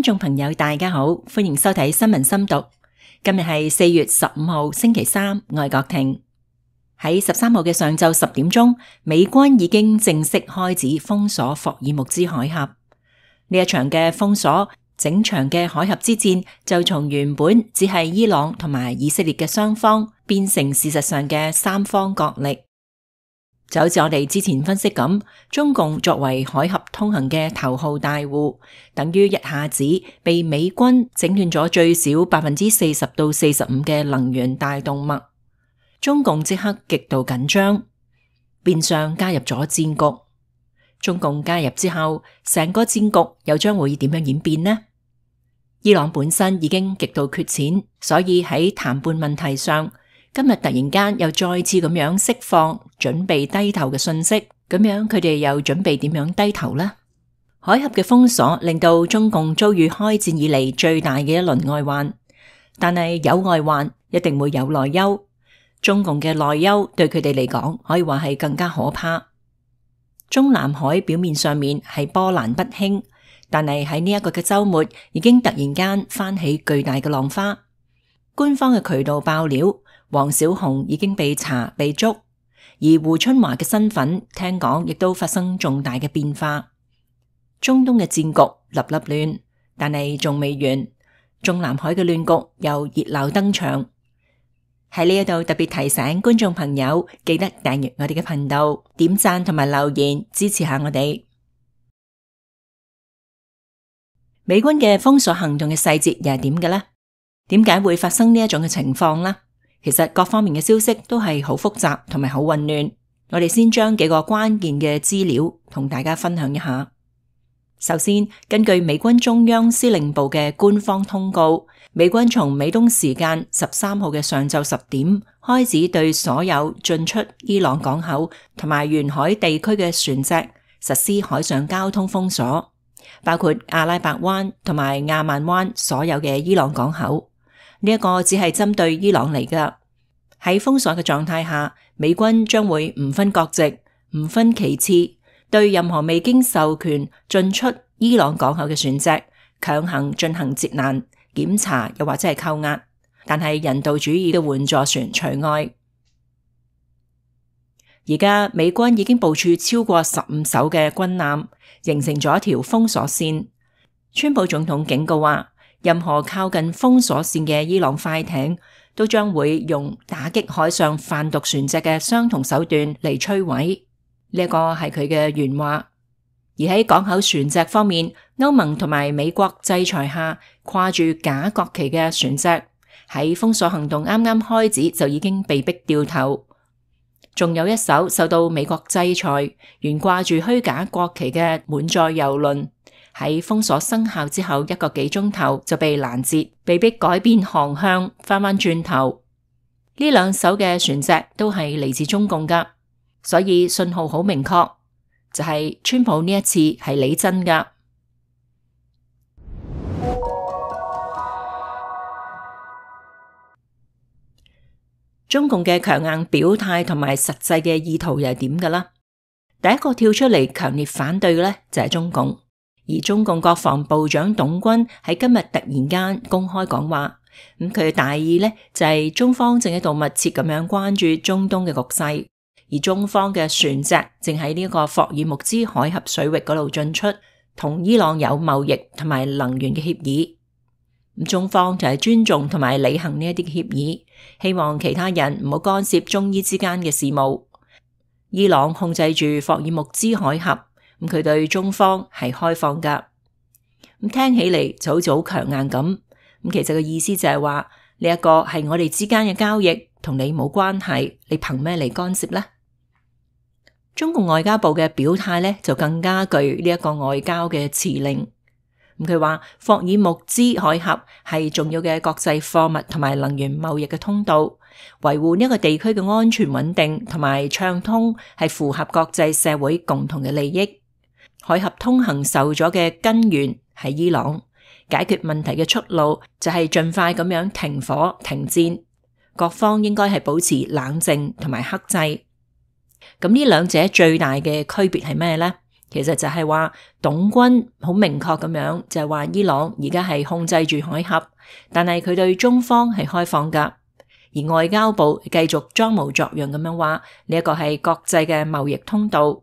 眾朋友大家好，歡迎收睇新聞深讀。今日係4月15號星期三，我係郭婷。喺13號嘅上晝10點鐘，美軍已經正式開始封鎖霍爾木茲海峽。呢一場嘅封鎖，整場嘅海峽之戰就從原本只係伊朗同埋以色列嘅雙方，變成事實上嘅三方角力。就好似我哋之前分析咁，中共作為海峽通行嘅頭號大戶，等於一下子被美軍整斷咗最少40%到45%嘅能源大動脈。中共即刻極度緊張，變相加入咗戰局。中共加入之後，成個戰局又將會點樣演變呢？伊朗本身已經極度缺錢，所以喺談判問題上，今日突然間又再次咁樣釋放準備低頭嘅訊息，咁樣佢哋又準備點樣低頭呢？海峽嘅封鎖令到中共遭遇開戰以嚟最大嘅一輪外患，但係有外患一定會有內憂。中共嘅內憂對佢哋嚟講可以話係更加可怕。中南海表面上面係波瀾不興，但係喺呢一個嘅週末已經突然間翻起巨大嘅浪花。官方嘅渠道爆料，王小洪已經被查被捉，而胡春華嘅身份聽講亦都發生重大嘅變化。中東嘅戰局立立亂，但係仲未完，中南海嘅亂局又熱鬧登場。喺呢一度特別提醒觀眾朋友，記得訂閱我哋嘅頻道，點讚同埋留言支持下我哋。美軍嘅封鎖行動嘅細節又係點嘅呢？點解會發生呢一種嘅情況呢？其實各方面嘅消息都係好複雜同埋好混亂。我哋先將幾個關鍵嘅資料同大家分享一下。首先，根據美軍中央司令部嘅官方通告，美軍從美東時間13號嘅上晝10點開始對所有進出伊朗港口同埋沿海地區嘅船隻實施海上交通封鎖，包括阿拉伯灣同埋亞曼灣所有嘅伊朗港口。呢一個只係針對伊朗嚟㗎。喺封鎖嘅狀態下，美軍將會唔分國籍、唔分旗幟，對任何未經授權進出伊朗港口嘅船隻強行進行截攔、檢查，又或者係扣押，但係人道主義嘅援助船除外。而家美軍已經部署超過15艘嘅軍艦，形成咗一條封鎖線。川普總統警告話，任何靠近封鎖線嘅伊朗快艇都將會用打擊海上販毒船隻嘅相同手段嚟摧毀。呢一個係佢嘅原話。而喺港口船隻方面，歐盟同埋美國制裁下，掛住假國旗嘅船隻喺封鎖行動啱啱開始就已經被逼掉頭。仲有一艘受到美國制裁，懸掛住虛假國旗嘅滿載郵輪，喺封鎖生效之後1個幾鐘頭就被攔截，被迫改變航向，翻轉頭。呢兩艘嘅船隻都係嚟自中共噶，所以信號好明確，就係川普呢一次係理真噶。中共嘅強硬表態同埋實際嘅意圖又係點噶啦？第一個跳出嚟強烈反對嘅咧就係中共。而中共國防部長董軍喺今日突然間公開講話，佢嘅大意呢就係中方正喺度密切咁樣關注中東嘅局勢，而中方嘅船隻正喺呢一個霍爾木茲海峽水域嗰度進出，同伊朗有貿易同埋能源嘅協議。中方就係尊重同埋履行呢一啲協議，希望其他人唔好干涉中伊之間嘅事務。伊朗控制住霍爾木茲海峽。佢對中方係開放噶，聽起嚟就好似好強硬咁。其實個意思就係話呢一個係我哋之間嘅交易，同你冇關係，你憑咩嚟干涉呢？中共外交部嘅表態呢，就更加具呢一個外交嘅辭令。佢話霍爾木茲海峽係重要嘅國際貨物同埋能源貿易嘅通道，維護呢一個地區嘅安全穩定同埋暢通係符合國際社會共同嘅利益。海峽通行受阻嘅根源係伊朗，解決問題嘅出路就係盡快咁樣停火停戰，各方應該係保持冷靜同埋克制。咁呢兩者最大嘅區別係咩呢？其實就係話董軍好明確咁樣就係話伊朗而家係控制住海峽，但係佢對中方係開放噶，而外交部繼續裝模作樣咁樣話呢一個係國際嘅貿易通道。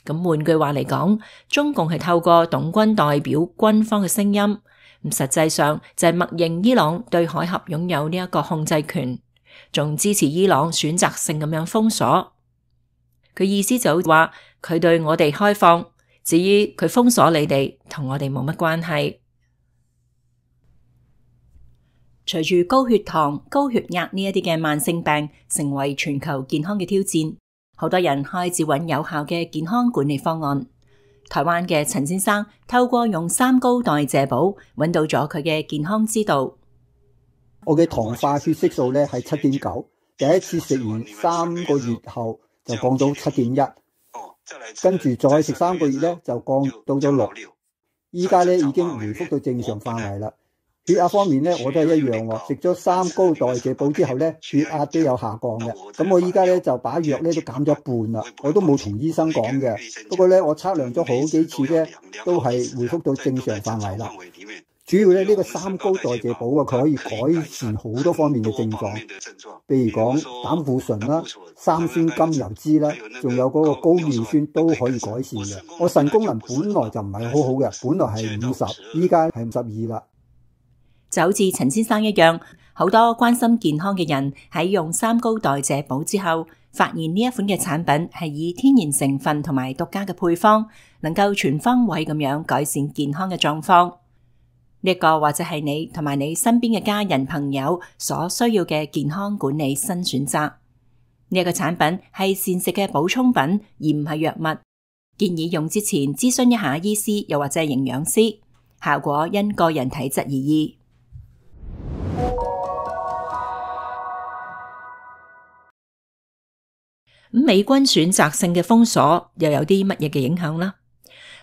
咁換句話嚟講，中共係透過董軍代表軍方嘅聲音，咁實際上就係默認伊朗對海峽擁有呢一個控制權，仲支持伊朗選擇性咁樣封鎖。佢意思就話佢對我哋開放，至於佢封鎖你哋，同我哋冇乜關係。隨住高血糖、高血壓呢一啲嘅慢性病成為全球健康嘅挑戰，好多人開始揾有效嘅健康管理方案。台灣嘅陳先生透過用三高代謝寶揾到咗佢嘅健康之道。我嘅糖化血色素咧係7.9，第一次食完3個月後就降到7.1，跟住再食3個月咧就降到咗6，依家咧已經回復到正常範圍啦。血壓方面咧，我都係一樣喎。食咗三高代謝寶之後咧，血壓都有下降嘅。咁我依家咧就把藥咧都減咗一半啦。我都冇同醫生講嘅。不過咧，我測量咗好幾次咧，都係回復到正常範圍啦。主要咧呢個三高代謝寶啊，佢可以改善好多方面嘅症狀，譬如講膽固醇啦、三酸甘油酯啦，仲有嗰個高尿酸都可以改善嘅。我腎功能本來就唔係好好嘅，本來係50，依家係52啦。就好似陳先生一樣，好多關心健康嘅人喺用三高代謝寶之後，發現呢一款嘅產品係以天然成分同埋獨家嘅配方，能夠全方位咁樣改善健康嘅狀況。呢一個或者係你同埋你身邊嘅家人朋友所需要嘅健康管理新選擇。呢一個產品係膳食嘅補充品，而唔係藥物。建議用之前諮詢一下醫師又或者係營養師，效果因個人體質而異。美軍選擇性嘅封鎖又有啲乜嘢嘅影響啦？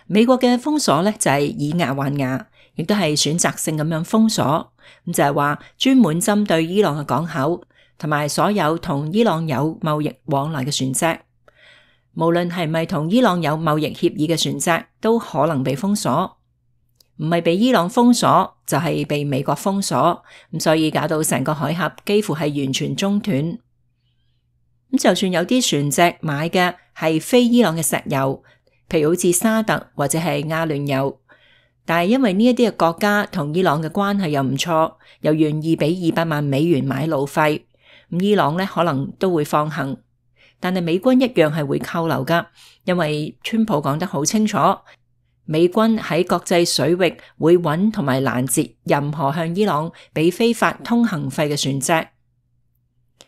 美國嘅封鎖咧就係以牙還牙，亦都係選擇性咁樣封鎖，咁就係話專門針對伊朗嘅港口同埋所有同伊朗有貿易往來嘅船隻，無論係咪同伊朗有貿易協議嘅船隻，都可能被封鎖。唔係被伊朗封鎖，就係被美國封鎖，咁所以搞到成個海峽幾乎係完全中斷。咁就算有啲船隻買嘅係非伊朗嘅石油，譬如好似沙特或者係阿聯酋，但係因為呢一啲嘅國家同伊朗嘅關係又唔錯，又願意俾200萬美元買路費，咁伊朗咧可能都會放行，但係美軍一樣係會扣留噶，因為川普講得好清楚，美軍喺國際水域會揾同埋攔截任何向伊朗俾非法通行費嘅船隻。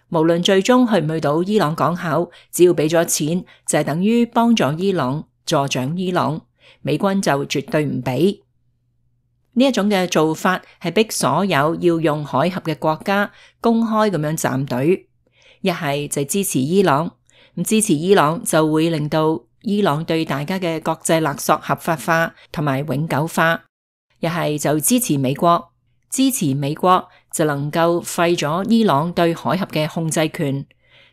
無論最終去唔去到伊朗港口，只要俾咗錢，就係等於幫助伊朗、助長伊朗，美軍就絕對唔俾。呢一種嘅做法係逼所有要用海峽嘅國家公開咁樣站隊，一係就支持伊朗，咁支持伊朗就會令到伊朗對大家嘅國際勒索合法化同埋永久化，一係就支持美國。支持美國就能夠廢咗伊朗對海峽嘅控制權，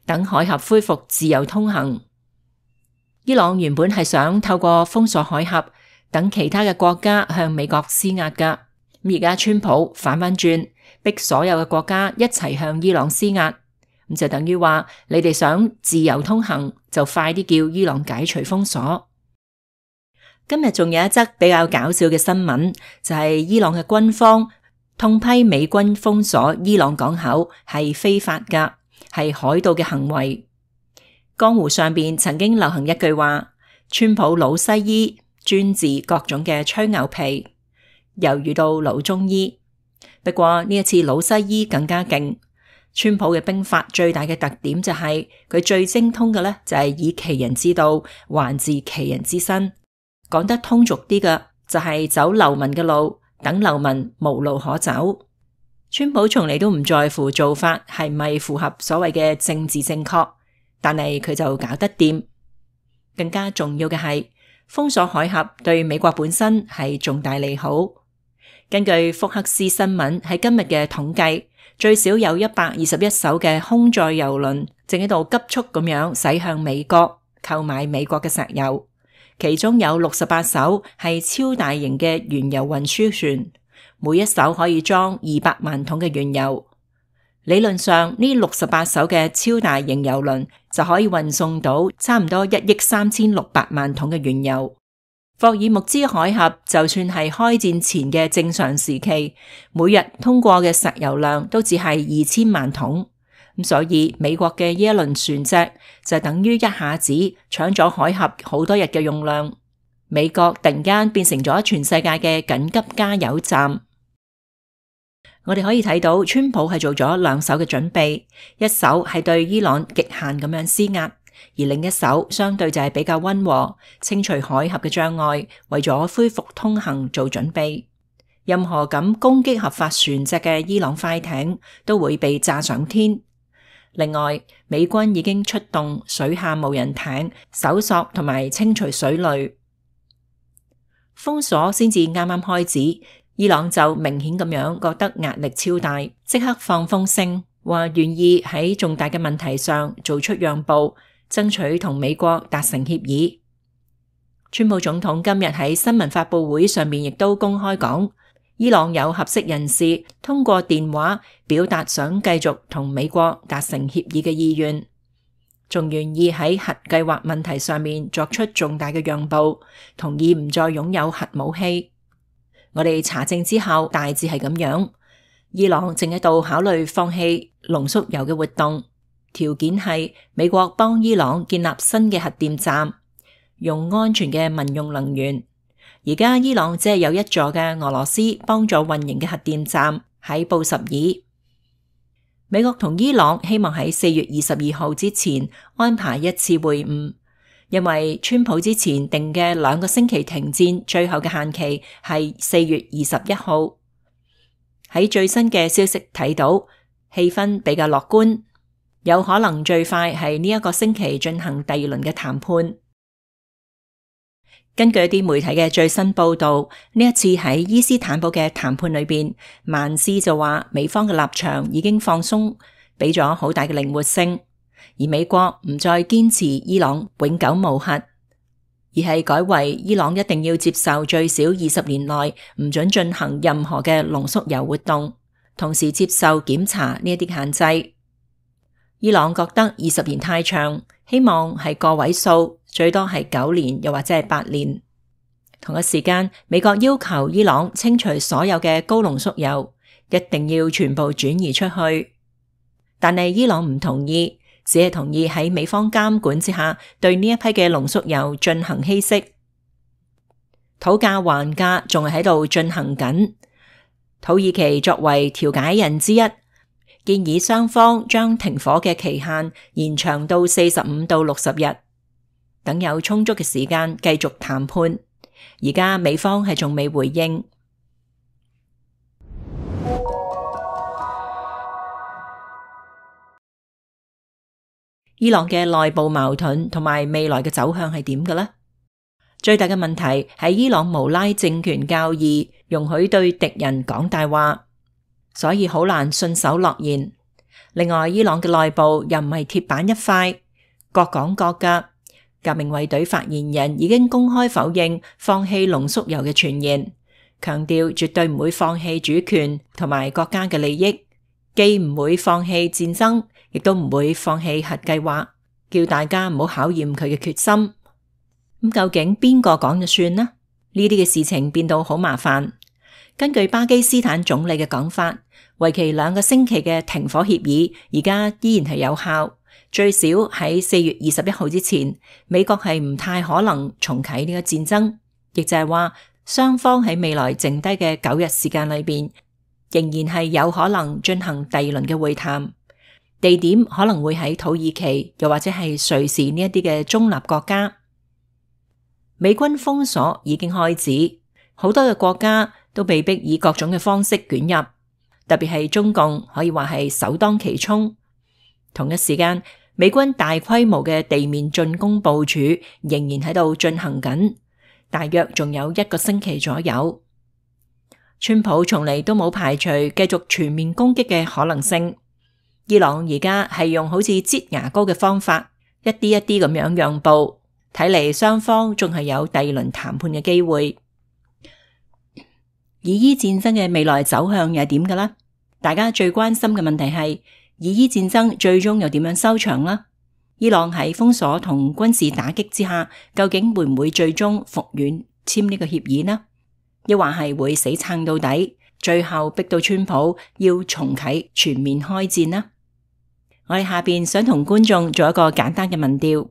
等海峽恢復自由通行。伊朗原本係想透過封鎖海峽，等其他嘅國家向美國施壓噶。而家川普反翻轉，逼所有嘅國家一齊向伊朗施壓，咁就等於話你哋想自由通行，就快啲叫伊朗解除封鎖。今日仲有一則比較搞笑嘅新聞，就係伊朗嘅軍方痛批美軍封鎖伊朗港口係非法噶，係海盜嘅行為。江湖上邊曾經流行一句話：川普老西醫專治各種嘅吹牛皮，又遇到老中醫。不過呢一次老西醫更加勁。川普嘅兵法最大嘅特點就係佢最精通嘅咧，就係以其人之道還治其人之身。講得通俗啲嘅就係走流民嘅路，等流民無路可走。川普從嚟都唔在乎做法係咪符合所謂嘅政治正確，但係佢就搞得掂。更加重要嘅係封鎖海峽對美國本身係重大利好。根據福克斯新聞喺今日嘅統計，最少有121艘嘅空載郵輪正喺度急速咁樣駛向美國，購買美國嘅石油。其中有68艘係超大型嘅原油運輸船，每一艘可以裝200萬桶嘅原油。理論上，呢68艘嘅超大型油輪就可以運送到差唔多1億3600萬桶嘅原油。霍爾木茲海峽就算係開戰前嘅正常時期，每日通過嘅石油量都只係2000萬桶。咁所以美國嘅呢一輪船隻就等於一下子搶咗海峽好多日嘅用量。美國突然間變成咗全世界嘅緊急加油站。我哋可以睇到川普係做咗兩手嘅準備，一手係對伊朗極限咁樣施壓，而另一手相對就係比較溫和，清除海峽嘅障礙，為咗恢復通行做準備。任何咁攻擊合法船隻嘅伊朗快艇都會被炸上天。另外，美軍已經出動水下無人艇搜索同埋清除水雷。封鎖先至啱啱開始，伊朗就明顯咁樣覺得壓力超大，即刻放風聲，話願意喺重大嘅問題上做出讓步，爭取同美國達成協議。川普總統今日喺新聞發佈會上面亦都公開講，伊朗有合適人士通過電話表達想繼續同美國達成協議嘅意願，仲願意喺核計劃問題上面作出重大嘅讓步，同意唔再擁有核武器。我哋查證之後大致係咁樣，伊朗正喺度考慮放棄濃縮鈾嘅活動，條件係美國幫伊朗建立新嘅核電站，用安全嘅民用能源。而家伊朗只係有一座嘅俄羅斯幫助運營嘅核電站喺布什爾。美國同伊朗希望喺4月22號之前安排一次會晤，因為川普之前定嘅2個星期停戰最後嘅限期係4月21號。喺最新嘅消息睇到，氣氛比較樂觀，有可能最快係呢一個星期進行第2輪嘅談判。根據一啲媒體嘅最新報道，呢一次喺伊斯坦堡嘅談判裏邊，曼斯就話美方嘅立場已經放鬆，俾咗好大嘅靈活性。而美國唔再堅持伊朗永久無核，而係改為伊朗一定要接受最少20年內唔准進行任何嘅濃縮鈾活動，同時接受檢查呢一啲限制。伊朗覺得20年太長，希望係個位數，最多係9年，又或者係8年。同一時間，美國要求伊朗清除所有嘅高濃縮鈾，一定要全部轉移出去。但係伊朗唔同意，只係同意喺美方監管之下，對呢一批嘅濃縮鈾進行稀釋。討價還價仲係喺度進行緊。土耳其作為調解人之一，建議雙方將停火嘅期限延長到45到60日，等有充足嘅時間繼續談判。而家美方係仲未回應。伊朗嘅內部矛盾同埋未來嘅走向係點嘅呢？最大嘅問題係伊朗無拉政權教義容許對敵人講大話，所以好難信守諾言。另外，伊朗嘅內部又唔係鐵板一塊，各講各㗎。革命衛隊發言人已經公開否認放棄濃縮鈾嘅傳言，強調絕對唔會放棄主權同埋國家嘅利益，既唔會放棄戰爭，亦都唔會放棄核計劃，叫大家唔好考驗佢嘅決心。咁究竟邊個講就算呢？呢啲嘅事情變到好麻煩。根據巴基斯坦總理嘅講法，為期2個星期嘅停火協議而家依然係有效，最少喺4月21號之前，美國係唔太可能重啟呢個戰爭，亦就係話雙方喺未來剩低嘅9日時間裏邊，仍然係有可能進行第2輪嘅會談，地點可能會喺土耳其又或者係瑞士呢一啲嘅中立國家。美軍封鎖已經開始，好多嘅國家都被迫以各種嘅方式捲入，特別係中共可以話係首當其衝。同一時間，美軍大規模嘅地面進攻部署仍然喺度進行緊，大約仲有1個星期左右。川普從嚟都冇排除繼續全面攻擊嘅可能性。伊朗而家係用好似擠牙膏嘅方法，一啲一啲咁樣讓步。睇嚟雙方仲係有第二輪談判嘅機會。以伊戰爭嘅未來走向又係點㗎啦？大家最關心嘅問題係以伊戰爭最終又點樣收場啦？伊朗喺封鎖同軍事打擊之下，究竟會唔會最終服軟簽呢個協議呢？抑或係會死撐到底，最後逼到川普要重啟全面開戰呢？我哋下邊想同觀眾做一個簡單嘅民調。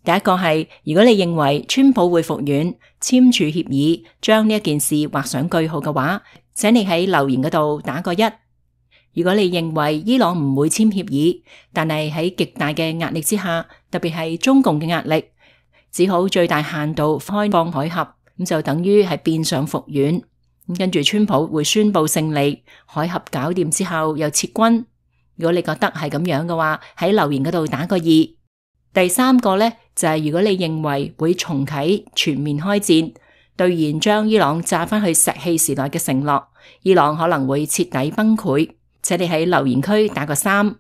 第一個係，如果你認為川普會服軟簽署協議，將呢一件事畫上句號嘅話，請你喺留言嗰度打個1。如果你認為伊朗唔會簽協議，但係喺極大嘅壓力之下，特別係中共嘅壓力，只好最大限度開放海峽，咁就等於係變相服軟。咁跟住川普會宣布勝利，海峽搞掂之後又撤軍。如果你覺得係咁樣嘅話，喺留言嗰度打個2。第三個呢，就係如果你認為會重啟全面開戰，兌現將伊朗炸返去石器時代嘅承諾，伊朗可能會徹底崩潰，請你喺留言區打個3。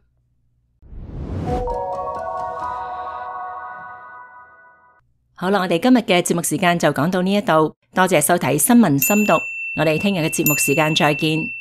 好啦，我哋今日嘅節目時間就講到呢一度，多謝收睇新聞深讀，我哋聽日嘅節目時間再見。